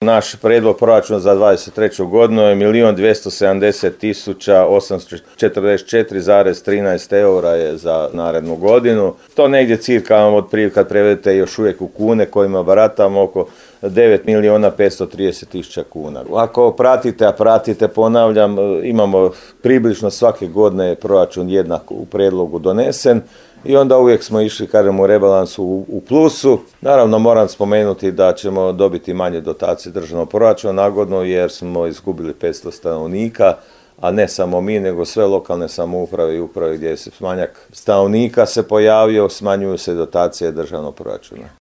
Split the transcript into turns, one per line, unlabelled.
Naš prijedlog proračuna za 23. godinu je 1.270.844,13 eura je za narednu godinu. To negdje cirka otprilike kad prevedete još uvijek u kune kojima baratamo oko 9.530.000 kuna. Ako pratite, ponavljam, imamo približno svake godine proračun jednak u prijedlogu donesen i onda uvijek smo išli, kažem, u rebalansu u plusu. Naravno, moram spomenuti da ćemo dobiti manje dotacije državnog proračuna nagodno jer smo izgubili 500 stanovnika, a ne samo mi, nego sve lokalne samouprave i uprave gdje se manjak stanovnika se pojavio, smanjuju se dotacije državnog proračuna.